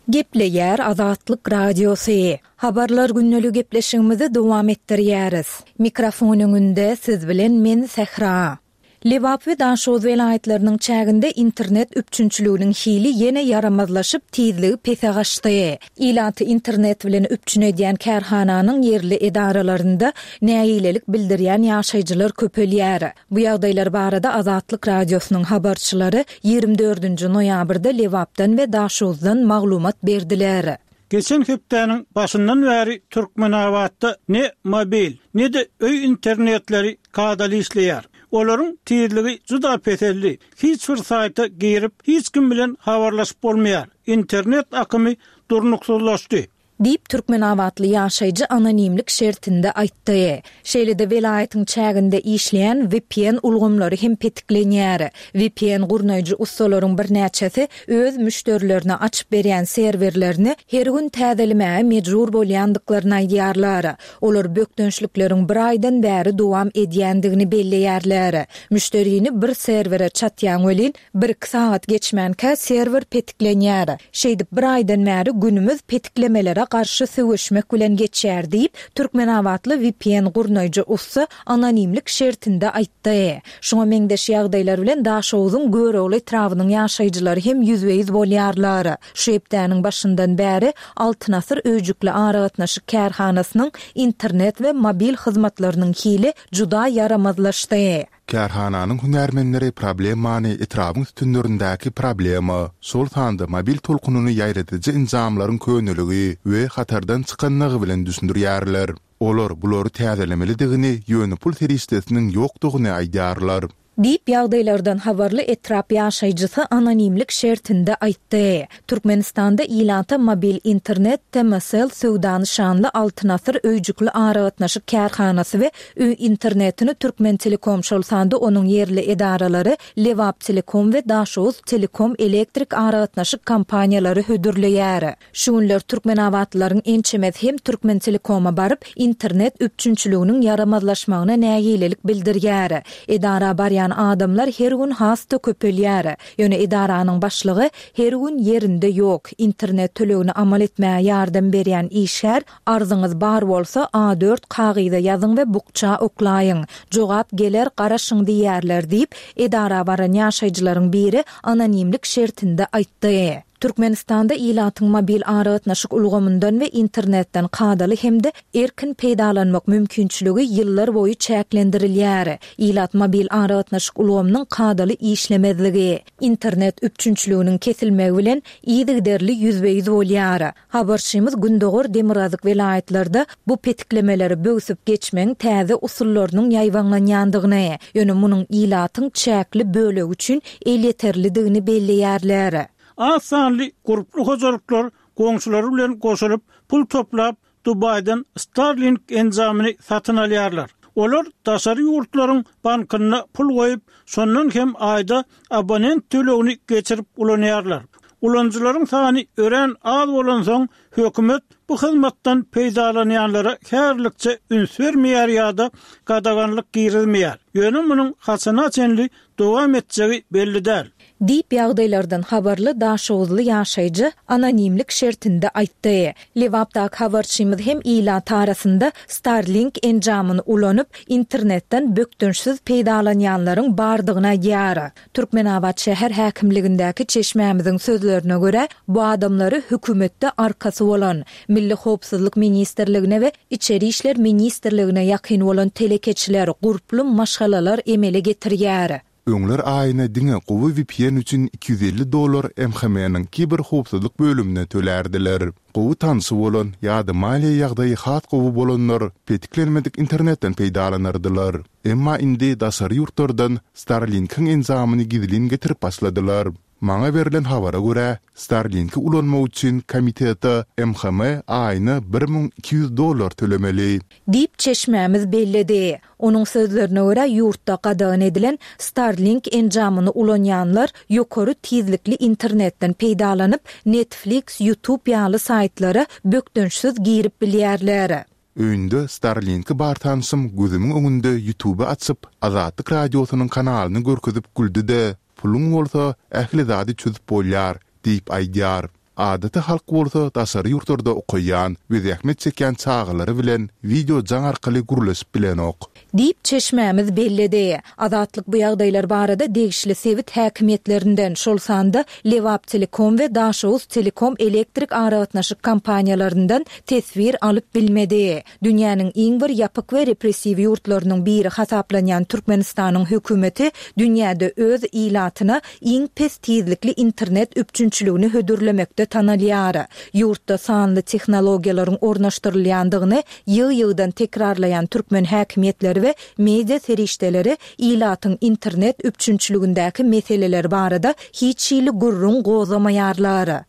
Gepleýär Azatlyk Radiosy. Habarlar gündeligi gepleşigimizi dowam etdirýäris. Mikrofon öňünde siz bilen men Sähra. Lebap we Daşoguz welaýatlarynyň çäginde internet üpjünçiliginiň hili ýene ýaramazlaşyp, tizligi pese gaçdy. Ilaty internet bilen üpjün edýän kärhananyň ýerli edaralarynda nägilelik bildirýän ýaşaýjylar köpelýär. Bu ýagdaýlar barada Azatlyk Radiosynyň habarçylary 24-nji noýabrda Lebapdan we Daşoguzdan maglumat berdiler. Geçen hepdäniň başyndan bäri Türkmenabatda ne mobil, ne-de öý internetleri kadaly işleýär. Olaryň tizligi juda peseldi. Hiç bir saýta girip, hiç kim bilen habarlaşyp bolmaýar. Internet akymy durnuksyzlaşdy. Diýip, türkmenabatly ýaşaýjy anonimlik şertinde aýtdy. Şeýle-de welaýatyň çäginde işleýän vpn ulgamlary hem petiklenýär. Vpn gurnaýjy ussalaryň birnäçesi öz müşderilerine açyp berýän serwerlerini her gün täzelemäge mejbur bolýandyklaryny aýdýarlar. Olar bökdençlikleriň bir aýdan bäri dowam edýändigini belleýärler. Müşderini bir serwere çatýaň welin, bir-iki sagat geçmänkä serwer petiklenýär. Şeýdip bir aýdan bäri günümiz petiklemelere garşy söweşmek bilen geçýär diýip, türkmenabatly vpn gurnaýjy ussa anonimlik şertinde aýtdy. Şuňa meňzeş ýagdaýlar bilen Daşoguzyň Görogly etrabynyň ýaşaýjylary hem ýüzbe-ýüz bolýarlar. Şu hepdäniň başyndan bäri Altyn asyr öýjükli aragatnaşyk kärhanasynyň internet we mobil hyzmatlarynyň hili juda ýaramazlaşdy. Kärhananyň hünärmenleri problemany etrabyň sütünlerindäki problema, şol sanda mobil tolkunyny ýaýradyjy enjamlaryň köneligi we hatardan çykanlygy bilen düşündirýärler. Olar bulary täzelemelidigini, ýöne pul serişdesiniň ýokdugyny aýdýarlar. Diýip, ýagdaýlardan habarly etrap ýaşaýjysy anonimlik şertinde aýtdy. Türkmenistanda ilata mobil internet TMSL söwda nyşanly Altyn asyr öýjükli aragatnaşyk kärhanasy we öý internetini Türkmentelekom, şol sanda onuň ýerli edaralary Lebaptelekom we Daşoguztelekom elektrik aragatnaşyk kompaniýalary hödürleýär. Şu günler türkmenabatlylaryň ençemesi hem Türkmentelekoma baryp, internet üpjünçiliginiň ýaramazlaşmagyna nägilelik bildirýär. Edara barýan adamlar her gün has-da köpelýär. Ýöne edaranyň başlygy her gün ýerinde ýok. Internet tölegini amal etmäge ýardam berýän işgär, Arzyňyz bar bolsa, A dört kagyza ýazyň we bukja oklaýyň. Jogap geler, garaşyň diýýärler diýip, edara baran ýaşaýjylaryň biri anonimlik şertinde aýtdy. Türkmenistanda ilatyň mobil aragatnaşyk ulgamyndan we internetden kadaly hem-de erkin peýdalanmak mümkinçiligi ýyllar boýy çäklendirilýär. Ilat mobil aragatnaşyk ulgamynyň kadaly işlemezligi, internet üpjünçiliginiň kesilmegi bilen yzygiderli ýüzbe-ýüz bolýar. Habarçymyz gündogar, demirgazyk welaýatlarda bu petiklemeleri böwsüp geçmegiň täze usullarynyň ýaýbaňlanýandygyny, ýöne munuň ilatyň çäkli bölegi üçin elýeterlidigini belleýärler. Az sanly gurply hojalyklar goňşulary bilen goşulyp, pul toplap, Dubaýdan Starlink enjamyny satyn alýarlar. Olar daşary ýurtlaryň bankynda pul goýup, şondan hem aýda abonent tölegini geçirip ulanýarlar. Ulanyjylaryň sany örän az bolansoň, hökümet bu hyzmatdan peýdalanýanlara häzirlikçe üns bermeýär ýa-da gadaganlyk girizmeýär. Ýöne munuň haçana çenli dowam etjegi belli däl. Diýip, ýagdaýlardan habarly daşoguzly ýaşaýjy anonimlik şertinde aýtdy. Lebapdaky habarçymyz hem ilat arasynda Starlink enjamyny ulanyp, internetden bökdençsiz peýdalanýanlaryň bardygyny aýdýar. Türkmenabat şäher häkimligindäki çeşmämiziň sözlerine görä, bu adamlary hökümetde arkasy bolan, Milli howpsuzlyk ministrligine we Içeri işler ministrligine ýakyn bolan telekeçiler, gurply maşgalalar emele getirýär. Öňler aýyna diňe gowy vpn üçin 250 dollar MHM-niň kiberhowpsuzlyk bölümine tölärdiler. Gowy tanşy bolan ýa-da maliýe ýagdaýy has gowy bolanlar petiklenmedik internetden peýdalanardylar. Emma indi daşary ýurtlardan Starlink-iň enjamyny gizlin getirip başladylar. Maňa berlen habara görä, Starlink-i ulanmak üçin komitete MHM aýyna 1200 dollar tölemeli. Diýip, çeşmämiz belledi. Onuň sözlerine görä, ýurtda gadagan edilen Starlink enjamyny ulanýanlar ýokary tizlikli internetden peýdalanyp, Netflix, YouTube ýaly saýtlara bökdençsiz girip bilýärler. Öýünde Starlink-i bar tanşym gözümiň öňünde Ýutuby açyp, Azatlyk Radiosynyň kanalyny görkezip güldi-de, Puluň bolsa, ähli zady çözüp bolýar diýip aýdýar. Adaty halk bolsa daşary ýurtlarda okaýan we zähmet çekýän çagalary bilen wideo jaň arkaly gürleşip bilenok. Diýip, çeşmämiz belledi. Azatlyk bu ýagdaýlar barada degişli sebit häkimiýetlerinden, şol sanda Lebaptelekom we Daşoguztelekom elektrik aragatnaşyk kompaniýalaryndan teswir alyp bilmedi. Dünýäniň iň bir ýapyk we repressiw ýurtlarynyň biri hasaplanýan Türkmenistanyň hökümeti dünýäde öz ilatyna iň pes tizlikli internet üpjünçiligini hödürlemekde tanalýar. Ýurtda sanly tehnologiýalaryň ornaşdyrylýandygyny ýygy-ýygydan tekrarlaýan türkmen häkimiýetleri we media serişdeleri ilatyň internet üpjünçiligindäki meseleler barada hiç hili gürrüň gozgamaýarlar.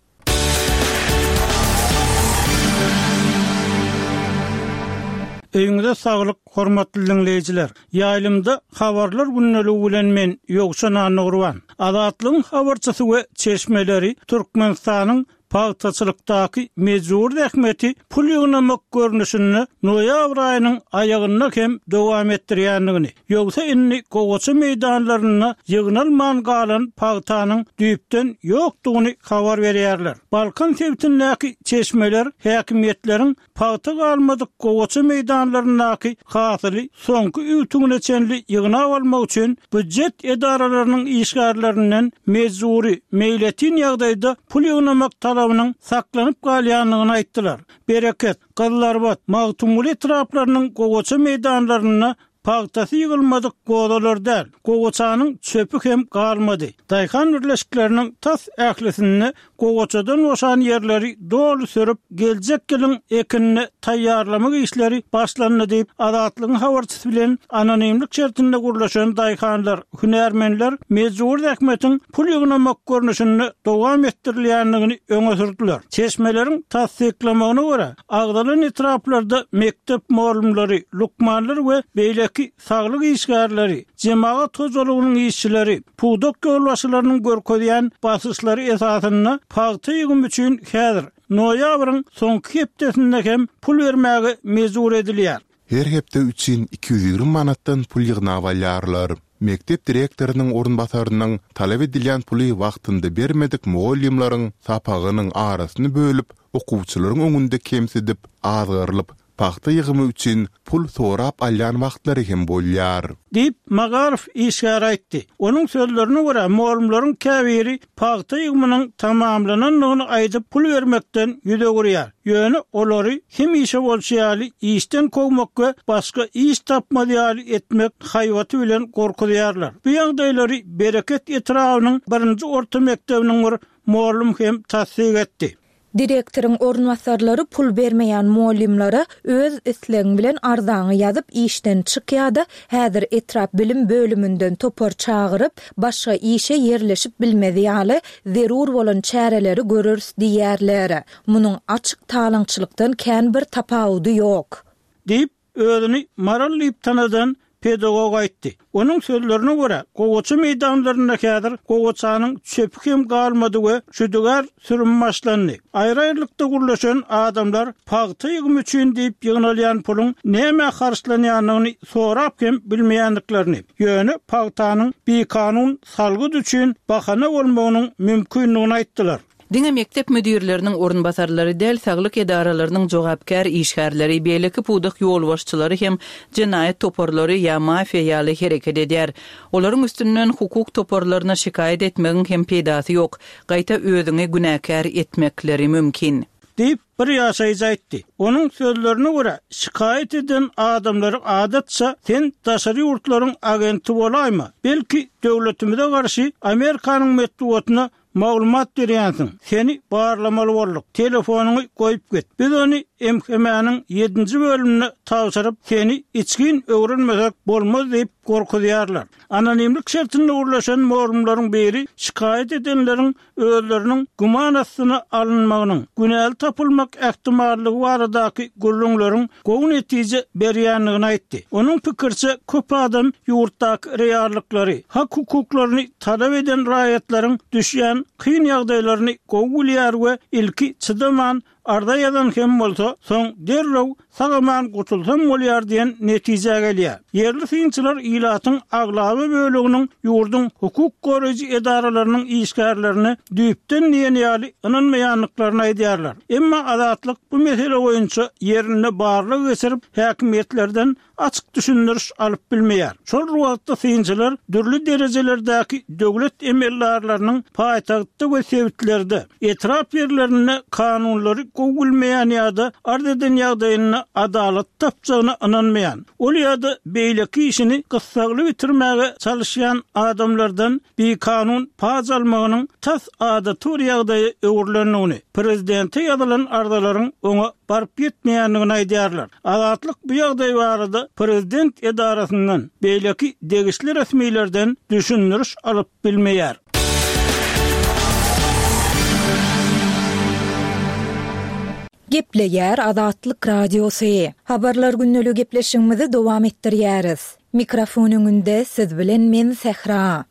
Öýüňize saglyk, hormatly diňleýjiler! Ýaýlymda Habarlar gündeligi bilen men, Ýowşan Annagurban. Azatlygyň habarçysy we çeşmeleri Türkmenistanyň pagtaçylykdaky mejbury zähmeti pul ýygnamak görnüşinde noýabr aýynyň aýagynda hem dowam etdirýändigini, ýogsa indi gowaça meýdanlarynda ýygnalman galan pagtanyň düýpden ýokdugyny habar berýärler. Balkan sebitindäki çeşmeler häkimiýetleriň Pagta galmadyk gowaça meýdanlaryndaky hasyly soňky üwtügine çenli ýygnap almak üçin býujet edaralarynyň işgärlerinden mejbury, meýletin ýagdaýda pul ýygnamak talabynyň saklanyp galýandygyny aýtdylar. Bereket, Gyzylarbat, Magtymguly etraplarynyň gowaça meýdanlarynda Pagtasy ýygylmadyk gozalar däl, gowaçanyň çöpi hem galmady. Daýhan birleşikleriniň tas ählisinde gowaçadan boşan ýerleri doly sürüp, geljek ýylyň ekinine taýýarlamak işleri başlandy diýip, Azatlygyň habarçysy bilen anonimlik şertinde gürleşen daýhanlar, hünärmenler mejbury zähmetiň pul ýygnamak görnüşinde dowam etdirilýändigini öňe sürdüler. Çeşmeleriň tassyklamagyna görä, Agzalan etraplarda mekdep mugallymlary, lukmanlar we beýleki saglyk işgärleri, jemagat hojalygynyň işçileri, pudak ýolbaşçylarynyň görkezýän basyşlary esasynda pagta ýygymy üçin häzir, noýabryň soňky hepdesinde hem pul bermäge mejbur edilýär. Her hepde üçin 220 manatdan pul ýygnap alýarlar. Mekdep direktorynyň orunbasarynyň talap edilýän puly wagtynda bermedik mugallymlaryň sapagynyň arasyny bölüp, okuwçylaryň öňünde kemsidip, azgyrylyp, pagta ýygymy üçin pul sorap alýan wagtlary hem bolýar. Diýip, magaryf işgäri aýtdy. Onuň sözlerine görä, mugallymlaryň käbiri pagta ýygymynyň tamamlanandygyny aýdyp, pul bermekden ýüz öwürýär. Ýöne olary hemişe bolşy ýaly işden kowmak we başga iş tapmaz ýaly etmek haýbaty bilen gorkuzýarlar. Bu ýagdaýlary Bereket etrabynyň birinji orta mekdebiniň bir mugallym hem tassyk etdi. Direktoryň orunbasarlary pul bermeýän mugallymlara öz islegiň bilen arzaňy ýazyp işden çyk ýa-da häzir etrap bilim bölüminden topar çagyryp, başga işe ýerleşip bilmezi ýaly zerur bolan çäreleri göreris diýýärler. Munuň açyk talaňçylykdan kän bir tapawudy ýok. Diýip, Özüni Maral diýip tanadan pedagog aýtdy. Onuň sözlerine görä, gowaça meýdanlarynda häzir gowaçanyň çöpi hem galmady we şüdügär sürüm başlandy. Aýry-aýrylykda gürleşen adamlar pagta ýygymy üçin diýip ýygnalýan puluň nämä harçlanýandygyny sorap hem bilmeýändiklerini, ýöne pagtanyň bikanun salgyt üçin bahana bolmagynyň mümkindigini aýtdylar. Diňe mekdep müdirleriniň orunbasarlary däl, saglyk edaralarynyň jogapkär işgärleri, beýleki pudak ýolbaşçylary hem jenaýat toparlary ýa mafiýa ýaly hereket edýär. Olaryň üstünden hukuk toparlaryna şikaýat etmegiň hem peýdasy ýok, gaýta özüňi günäkär etmekleri mümkin. Diýip, bir ýaşaýjy aýtdy. Onuň sözlerine görä, şikaýat eden adamlary adatça sen daşary ýurtlaryň agenti bolaýma, belki döwletimize garşy Amerikanyň metbugatyna Maglumat berýänsiň. Seni barlamaly bolduk. Telefonyňy goýup git. Biz ony MHM-niň ýedinji bölümine tabşyryp, seni içgin öwrenmesek bolmaz diýip gorkuzýarlar. Anonimlik şertinde gürleşen mugallymlaryň biri şikaýat edenleriň özleriniň güman astyna alynmagynyň, günäli tapylmak ähtimallygy baradaky gürrüňleriň gowy netije berýändigini aýtdy. Onuň pikiriçe, köp adam ýurtdaky reallyklary, hak-hukuklaryny talap eden raýatlaryň düşýän kyn ýagdaýlaryny gowy bilýär we ilki çydaman, arza ýazan hem bolsa, soň derrew sag-aman gutulsam bolýar diýen netijä gelýär. Ýerli synçylar ilatyň aglaba böleginiň ýurduň hukuk goraýjy edaralarynyň işgärlerine düýpden diýen ýaly ynanmaýandyklaryny aýdýarlar. Emma Azatlyk bu mesele boýunça ýerinde barlag geçirip, häkimiýetlerden açyk düşündiriş alyp bilmeýär. Şol bir wagtda synçylar dürli derejelerdäki döwlet emeldarlarynyň paýtagtda we sebitlerde, etrap ýerlerinde kanunlary gowy bilmeýän ýa-da arz eden ýagdaýynda adalat tapjagyna ynanmaýan, ol ýa-da beýleki işini gyssagly bitirmäge çalyşýan adamlardan bikanun paç almagynyň tas adaty bir ýagdaýa öwrülendigini, prezidente ýazylan arzalaryň oňa baryp ýetmeýändigini aýdýarlar. Azatlyk bu ýagdaý barada prezident edarasyndan, beýleki degişli resmilerden düşündiriş alyp bilmeýär. Gepleýär Azatlyk Radiosy. Habarlar gündeligi gepleşigimizi dowam etdirýäris. Mikrofon öňünde siz bilen men Sähra.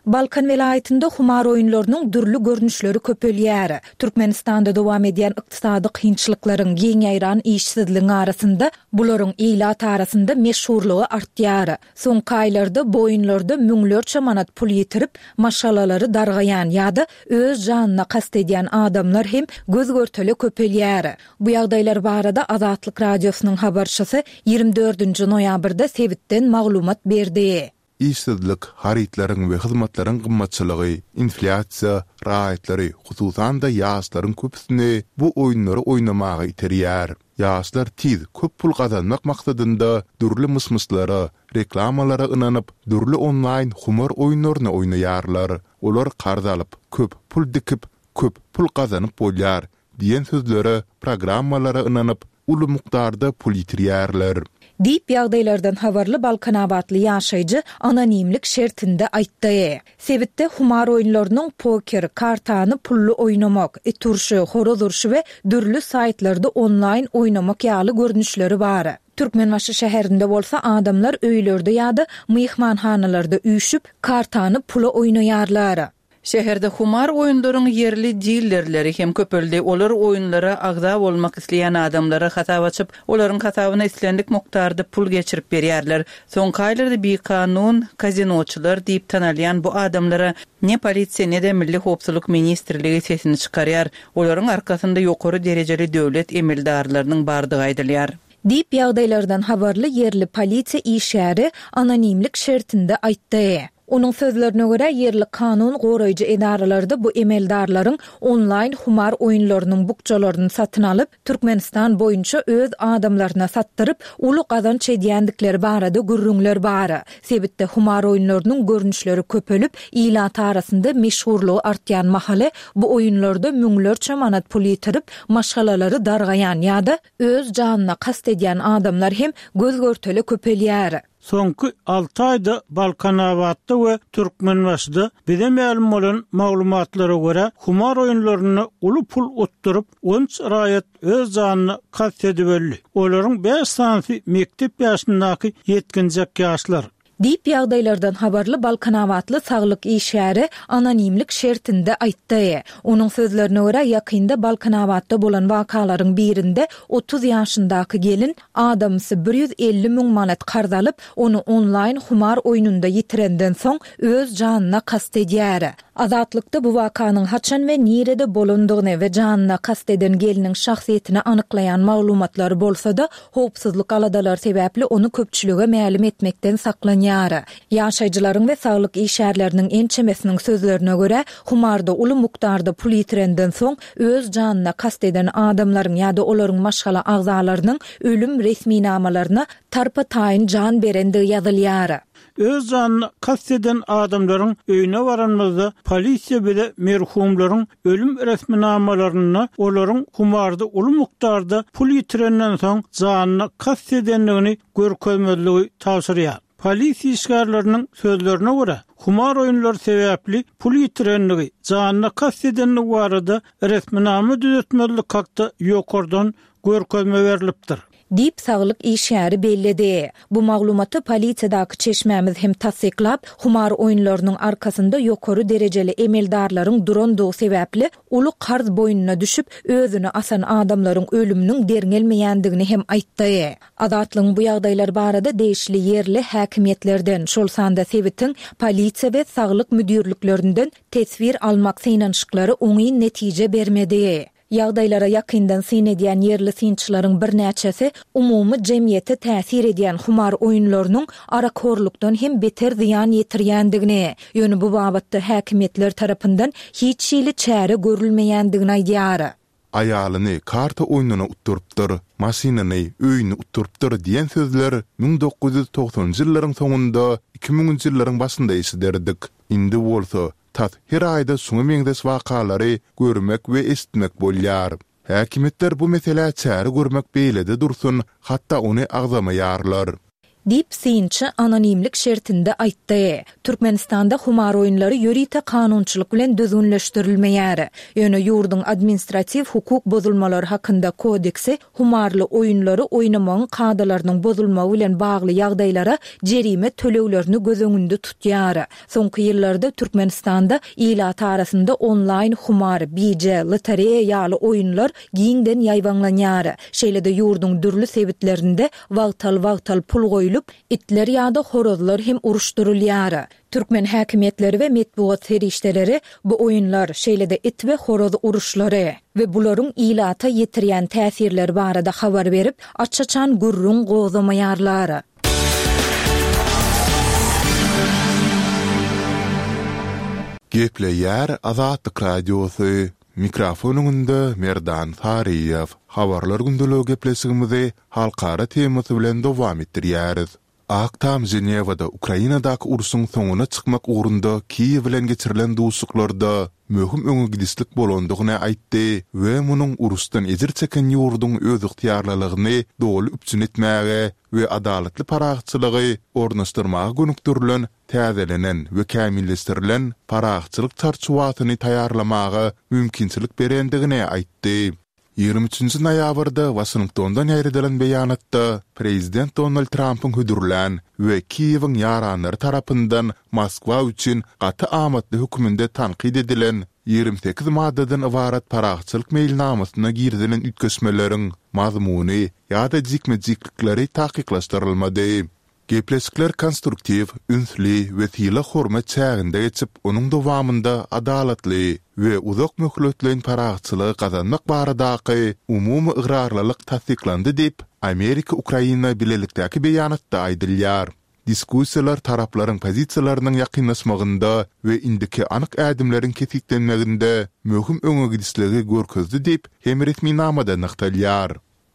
Balkan welaýatynda humar oýunlarynyň dürli görnüşleri köpelýär. Türkmenistanda dowam edýän ykdysady kynçylyklaryň, giň ýaýran işsizligiň arasynda bularyň ilat arasynda meşhurlygy artýar. Soňky aýlarda bu oýunlarda müňlerçe manat pul ýitirip, maşgalalary dargaýan ýa-da öz janyna kast edýän adamlar hem göz-görtele köpelýär. Bu ýagdaýlar barada Azatlyk Radiosynyň habarçysy 24-nji noýabrda sebitden maglumat berdi. Işsizlik, harytlaryň we hyzmatlaryň gymmatçylygy, inflýasiýa raýatlary, hususan-da ýaşlaryň köpüsini bu oýunlary oýnamaga iterýär. Ýaşlar tiz, köp pul gazanmak maksadynda dürli myş-myşlara, reklamalara ynanyp, dürli onlaýn humar oýunlaryny oýnaýarlar. Olar karz alyp, köp pul dikip, köp pul gazanyp bolýar diýen sözlere, programmalara ynanyp, uly mukdarda pul ýitirýärler. Diýip, ýagdaýlardan habarly balkanabatly ýaşaýjy anonimlik şertinde aýtdy. Sebitde humar oýunlarynyň poker, kartany pully oýnamak, it urşy, horaz urşy we dürli saýtlarda onlaýn oýnamak ýaly görnüşleri bar. Türkmenbaşy şäherinde bolsa adamlar öýlerde ýa-da myhmanhanalarda üýşüp, kartany pula oýnaýarlar. Şäherde humar oýunlaryň ýerli dillerleri hem köpeldi. Olar oýunlara agza bolmak isleýän adamlara hasap açyp, olaryň hasabyna islendik mukdarda pul geçirip berýärler. Soňky aýlarda bikanun kazinoçylar diýip tanalýan bu adamlara ne polisiýa, ne-de Milli howpsuzlyk ministrligi sesini çykarýar. Olaryň arkasynda ýokary derejeli döwlet emeldarlarynyň bardygy aýdylýar. Diýip, ýagdaýlardan habarly ýerli polisiýa işgäri anonimlik şertinde aýtdy. Onuň sözlerine görä, ýerli kanun goraýjy edaralarda bu emeldarlaryň onlaýn humar oýunlarynyň bukjalaryny satyn alyp, Türkmenistan boýunça öz adamlaryna satdyryp, uly gazanç edýändikleri barada gürrüňler bar. Sebitde humar oýunlarynyň görnüşleri köpelip, ilat arasynda meşhurlygy artýan mahaly, bu oýunlarda müňlerçe manat pul ýitirip, maşgalalary dargaýan ýa-da öz janyna kast edýän adamlar hem göz-görtele köpelýär. Soňky alty aýda Balkanabatda we Türkmenbaşyda bize mälim bolan maglumatlara görä, humar oýunlarynda uly pul utduryp, on üç raýat öz janyna kast edip öldi. Olaryň bäş sanysy mekdep ýaşyndaky ýetginjek ýaşlar. Diýip, ýagdaýlardan habarly balkanabatly saglyk işgäri anonimlik şertinde aýtdy. Onuň sözlerine görä, ýakynda Balkanabatda bolan wakalaryň birinde 30 ýaşyndaky gelin adamsy 150 müň manat karz alyp, ony onlaýn humar oýnunda ýitirenden soň, öz janyna kast edýär. Azatlykda bu wakanyň haçan we nirede bolandygyny we janyna kast eden gelniň şahsyýetini anyklaýan maglumatlar bolsa-da, howpsuzlyk aladalary sebäpli ony köpçülige mälim etmekden saklanýar. Ýaşaýjylaryň we saglyk işgärleriniň ençemesiniň sözlerine görä, humarda uly mukdarda pul ýitirenden soň öz janyna kast eden adamlaryň ýa-da olaryň maşgala agzalarynyň ölüm resminamalaryna tarpa-taýyn jan berendigi ýazylýar. Öz janyna kast eden adamlaryň öýüne baranymyzda, polisiýa bize merhumlaryň ölüm resminamalarynda olaryň humarda uly mukdarda pul ýitirenden soň janyna kast edendigini görkezmezligi tabşyrýar. Polisiýa işgärleriniň sözlerine görä, humar oýunlary sebäpli pul ýitirendigi, janyna kast edendigi barada resminama düzetmezlik hakda ýokardan görkezme berlipdir. Diýip, saglyk işgäri belledi. Bu maglumaty polisiýadaky çeşmämiz hem tassyklap, humar oýunlarynyň arkasynda ýokary derejeli emeldarlaryň durandygy sebäpli, uly karz boýnuna düşüp, özüni asan adamlaryň ölüminiň derňelmeýändigini hem aýtdy. Azatlygyň bu ýagdaýlar barada degişli ýerli häkimiýetlerden, şol sanda sebitiň polisiýa we saglyk müdirliklerinden teswir almak synanyşyklary oňyn netije bermedi. Ýagdaýlara ýakyndan syn edýän ýerli synçylaryň birnäçesi umumy jemgyýete täsir edýän humar oýunlarynyň arakhorlukdan hem beter zyýan ýetirýändigini, ýöne bu babatda häkimiýetler tarapyndan hiç hili çäre görülmeýändigini aýdýar. Aýalyny karta oýnuna utdurypdyr, maşynyny, öýüni utdurypdyr diýen sözler 1990-njy ýyllaryň soňunda, iki müňünji ýyllaryň başynda eşiderdik. Indi bolsa, Tas her aýda şuňa meňzeş wakalary görmek we eşitmek bolýar. Häkimiýetler bu meselä çäre görmek beýlede dursun, hatda ony agzamaýarlar. Diýip, synçy anonimlik şertinde aýtdy. Türkmenistanda humar oýunlary ýörite kanunçylyk bilen düzgünleşdirilmeýär. Ýöne ýurduň Administratiw hukuk bozulmalary hakynda kodeksi humarly oýunlary oýnamagyň kadalarynyň bozulmagy bilen bagly ýagdaýlara jerime töleglerini göz öňünde tutýar. Soňky ýyllarda Türkmenistanda ilat arasynda onlaýn humar, bije, lotereýa ýaly oýunlar giňden ýaýbaňlanýar. Şeýle-de ýurduň dürli sebitlerinde wagtal-wagtal pul goýlup, itler ýa-da horazlar hem uruşdyrylýar. Türkmen häkimiýetleri we metbugat serişdeleri bu oýunlar, şeýle-de it we horaz uruşlary we bularyň ilata ýetirýän täsirleri barada habar berip, aç-açan gürrüň gozgamaýarlar. Gepleýär Azatlyk Radiosy, Mikrofon öňünde Merdan Saryýew. Habarlar gündeligi gepleşigimizi halkara temasy bilen dowam etdirýäris. Ak Tam Ženewada Ukrainadaky urşuň soňuna çykmak ugrunda Kiýew bilen geçirilen duşuşyklarda möhüm öňe gidişlik bolandygyny aýtdy we munuň uruşdan ejir çeken ýurduň özygtyýarlylygyny doly üpjün etmäge we adalatly parahatçylygy ornaşdyrmaga gönükdirilen täzelenen we kämilleşdirilen parahatçylyk çarçuwasyny taýýarlamaga mümkinçilik berendigini aýtdy. 23 noýabrda Waşingtondan ýaýradylan beýanatda prezident Donald Trampyň hödürlän we Kiýewiň ýaranlary tarapyndan Moskwa üçin gaty amatly hökmünde tankyt edilen 28 maddadan ybarat parahatçylyk meýilnamasyna girizilen üýtgeşmeleriň mazmuny ýa-da jikme-jiklikleri takyklaşdyrylmady. Gepleşikler konstruktiw, ünsli we sylag-hormat çäginde geçip, onuň dowamynda adalatly we uzak möhletleýin parahatçylygy gazanmak baradaky umumy ygrarlylyk tassyklandy diýip, Amerika-Ukraina bilelikdäki beýanatda aýdylýar. Diskussiýalar taraplaryň pozisiýalarynyň ýakynlaşmagynda we indiki anyk ädimleriň kesgitlenmeginde möhüm öňegidişligi görkezdi diýip hem resminamada nygtalýar.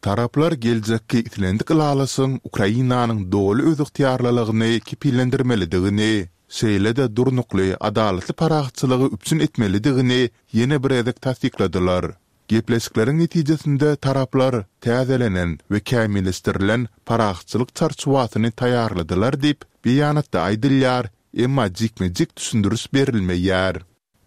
Taraplar geljekki islendik ylalaşygyň Ukrainanyň doly özygtyýarlylygyny kepillendirmelidigini, şeýle-de durnukly, adalatly parahatçylygy üpjün etmelidigini ýene bir gezek tassykladylar. Gepleşikleriň netijesinde taraplar täzelenen we kämilleşdirilen parahatçylyk çarçuwasyny taýýarladylar diýip, beýanatda aýdylýar, emma jikme-jik düşündiriş berilmeýär.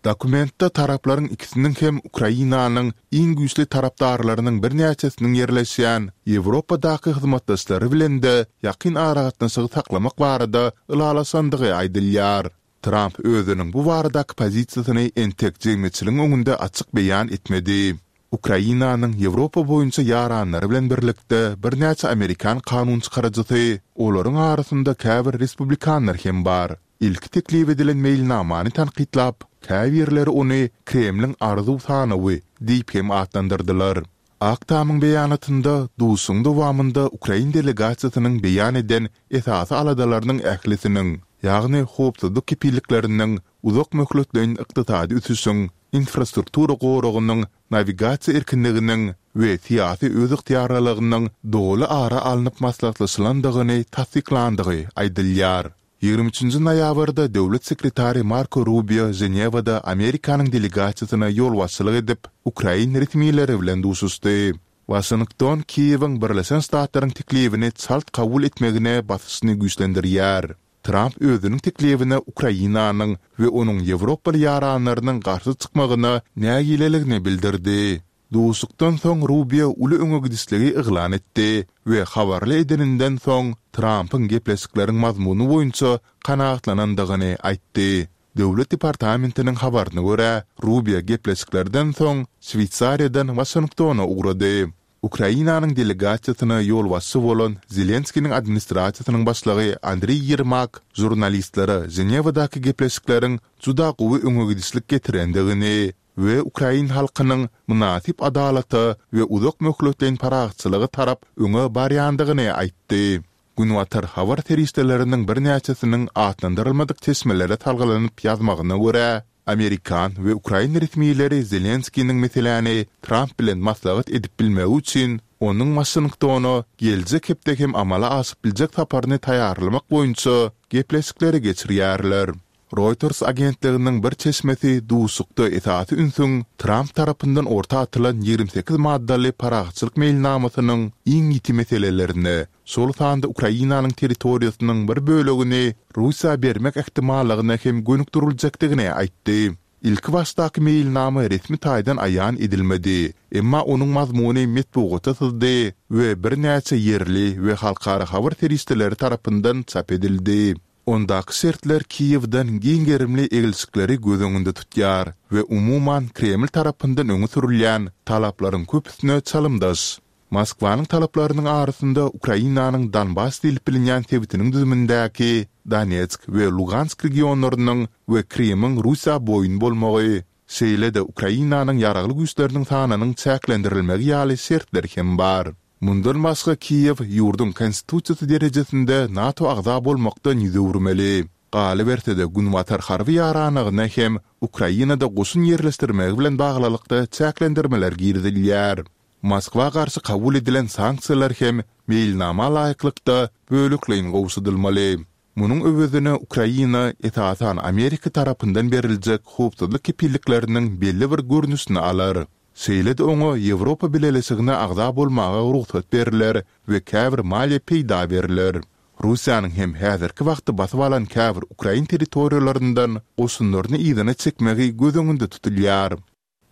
Dokumentde taraplaryň ikisiniň hem Ukrainanyň iň güýçli tarapdarlarynyň birnäçesiniň ýerleşýän Ýewropadaky hyzmatdaşlary bilen-de ýakyn aragatnaşygy saklamak barada ylalaşandygy aýdylýar. Tramp özüniň bu baradaky pozisiýasyny entek jemgyýetçiligiň öňünde açyk beýan etmedi. Ukrainanyň Ýewropa boýunça ýaranlary bilen birlikde birnäçe amerikan kanunçykaryjysy, olaryň arasynda käbir respublikanlar hem bar, ilki teklip edilen meýilnamany tankytlap, käbirleri ony Kremliň arzuw sanawy diýip hem atlandyrdylar. Ak Tamyň beýanatynda duşuşygyň dowamynda ukrain delegasiýasynyň beýan eden esasy aladalarynyň ählisiniň, ýagny howpsuzlyk kepillikleriniň, uzak möhletleýin ykdysady ösüşiň, infrastruktura goragynyň, nawigasiýa erkinliginiň we syýasy özygtyýarlylygynyň doly ara alnyp maslahatlaşylandygyny tassyklandygy aýdylýar. 23-nji noýabrda döwlet sekretary Marko Rubio Ženewada Amerikanyň delegasiýasyna ýolbaşçylyk edip, ukrain resmileri bilen duşuşdy. Waşington Kiýewiň Birleşen Ştatlaryň teklibini çalt kabul etmegine basyşyny güýçlendirýär. Tramp özüniň teklibine Ukrainanyň we onuň ýewropaly ýaranlarynyň garşy çykmagyna nägileligini bildirdi. Duşuşykdan soň Rubio uly öňe gidişligi yglan etdi we habarly edeninden soň Trampyň gepleşikleriň mazmuny boýunça kanagatlanandygyny aýtdy. Döwlet departamentiniň habaryna görä, Rubio gepleşiklerden soň Şweýsariýadan Waşingtona ugrady. Ukrainanyň delegasiýasyna ýolbaşçy bolan Zelenskiniň administrasiýasynyň başlygy Andriý Ýermak žurnalistlere Ženewadaky gepleşikleriň juda gowy öňegidişlik getirendigini we ukrain halkynyň mynasyp adalata we uzak möhletleýin parahatçylyga tarap öňe barýandygyny aýtdy. Günbatar habar serişdeleriniň birnäçesiniň atlandyrylmadyk çeşmelere salgylanyp ýazmagyna görä, amerikan we ukrain resmileri Zelenskiniň meseläni Tramp bilen maslahat edip bilmegi üçin onuň Waşingtona geljek hepde hem amala aşyp biljek saparyny taýýarlamak boýunça gepleşikleri geçirýärler. Reuters agentliginiň bir çeşmesi duşuşykda esasy ünsüň Tramp tarapyndan orta atylan 28 maddaly parahatçylyk meýilnamasynyň iň ýiti meselelerine, şol sanda Ukrainanyň territoriýasynyň bir bölegini Russiýa bermek ähtimallygyna hem gönükdiriljekdigini aýtdy. Ilkibaşdaky meýilnama resmi taýdan aýan edilmedi, emma onuň mazmuny metbugata syzdy we birnäçe ýerli we halkara habar serişdeleri tarapyndan çap edildi. Ondaky şertler Kiýewden giň gerimli eglişikleri göz öňünde tutýar we umuman Kreml tarapyndan öňe sürülýän talaplaryň köpüsine çalymdaş. Moskwanyň talaplarynyň arasynda Ukrainanyň Donbass diýlip bilinýän sebitiniň düzümindäki Donetsk we Lugansk regionlarynyň we Krymyň Russiýa boýun bolmagy, şeýle-de Ukrainanyň ýaragly güýçleriniň sanynyň çäklendirilmegi ýaly şertler hem bar. Mundan başga Kiýew ýurduň konstitusiýasy derejesinde NATO agza bolmakdan ýüz öwürmeli. Galyberse-de Günbatar harby ýaranlygyna hem Ukrainada goşun ýerleşdirmegi bilen baglylykda çäklendirmeler girizilýär. Moskwa garşy kabul edilen sanksiýalar hem meýilnama laýyklykda bölekleýin gowşadylmaly. Munuň öwezine Ukraina esasan Amerika tarapyndan beriljek howpsuzlyk kepillikleriniň belli bir görnüşini alar. Şeýle-de oňa Ýewropa Bileleşigine agza bolmaga rugsat berler we käbir maliýe peýda berler. Russiýanyň hem häzirki wagtda basyp alan käbir ukrain territoriýalaryndan goşunlaryny yzyna çekmegi göz öňünde tutulýar.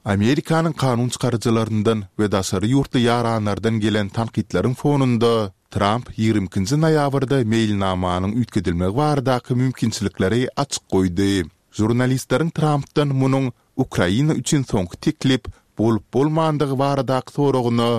Amerikanyň kanun çykaryjylaryndan we daşary ýurtly ýaranlardan gelen tankytlaryň fonunda, Tramp 22-nji noýabrda meýilnamanyň üýtgedilmegi baradaky mümkinçilikleri açyk goýdy. Žurnalistleriň Trampdan munuň Ukraina üçin soňky teklip bolup-bolmandygy baradaky soragyna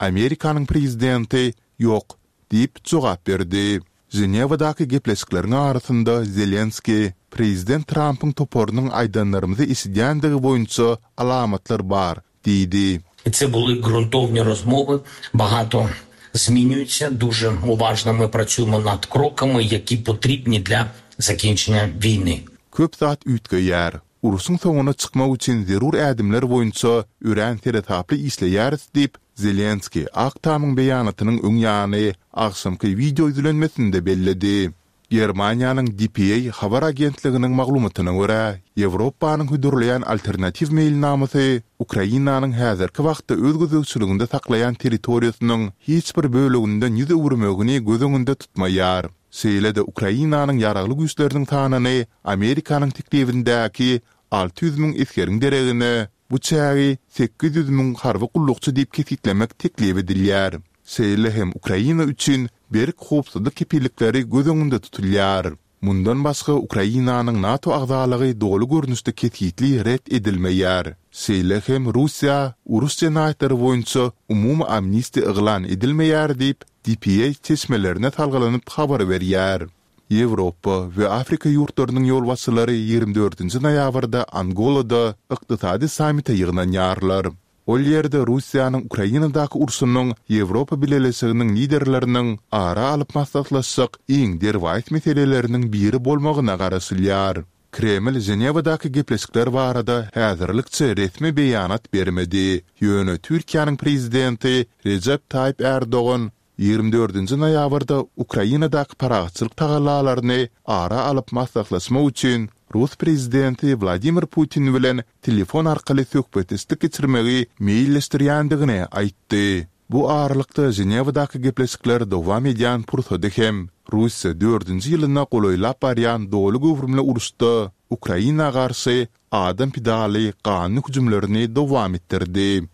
Amerikanyň prezidenti Ýok diýip jogap berdi. Ženewadaky gepleşikleriň arasynda Zelenskiý, prezident Trampyň toparynyň aýdanlarymyzy eşidýändigi boýunça alamatlar bar diýdi. Це були ґрунтовні розмови. Багато змінюється. Дуже уважно ми працюємо над кроками, які потрібні для закінчення війни. Köp zat üýtgeýär. Urşuň soňuna çykmak üçin zerur ädimler boýunça örän seresaply işleýäris diýip, Zelenskiý Ak Tamyň beýanatynyň öň ýany agşamky wideo ýüzlenmesinde belledi. Germaniýanyň dpa habar agentliginiň maglumatyna görä, Ýewropanyň hödürleýän alternatiw meýilnamasy Ukrainanyň häzirki wagtda öz gözegçiliginde saklaýan territoriýasynyň hiç bir böleginden ýüz öwürmegini göz öňünde tutmaýar. Şeýle-de Ukrainanyň ýaragly güýçleriniň sanyny Amerikanyň teklibindäki 600 müň esgeriň deregine bu çägi 800 müň harby gullukçy diýip kesgitlemek teklip edilýär. Şeýle hem Ukraina üçin berk howpsuzlyk kepillikleri göz öňünde tutulýar. Mundan başga Ukrainanyň NATO agzalygy doly görnüşde kesgitli ret edilmeýär. Şeýle hem Russiýa uruş jenaýatlary boýunça umumy amnistiýa yglan edilmeýär diýip, dpa çeşmelerine salgylanyp habar berýär. Ýewropa we Afrika ýurtlarynyň ýolbaşçylary 24-nji noýabrda Angolada ykdysady sammite ýygnanýarlar. Ol ýerde Russiýanyň Ukrainadaky urşunyň Ýewropa Bileleşiginiň liderleriniň ara alyp maslahatlaşjak iň derwaýys meseleleriniň biri bolmagyna garaşylýar. Kreml Ženewadaky gepleşikler barada häzirlikçe resmi beýanat bermedi, ýöne Türkiýäniň prezidenti Rejep Taýyp Ärdogan 24-nji noýabrda Ukrainadaky parahatçylyk tagallalaryny ara alyp maslahatlaşmak üçin rus prezidenti Wladimir Putin bilen telefon arkaly söhbetdeşlik geçirmegi meýilleşdirýändigini aýtdy. Bu aralykda Ženewadaky gepleşikler dowam edýän pursady hem Russiýa dördünji ýylyna golaýlap barýan doly göwrümli uruşda Ukraina garşy adam pidaly ganly hüjümlerini dowam etdirdi.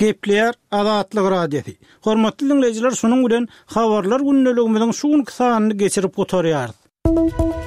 Gepleýär Azatlyk Radiosy. Hormatly diňleýjiler şunuň bilen Habarlar gündeligimiziň şu günki sanyny geçirip gutarýarys.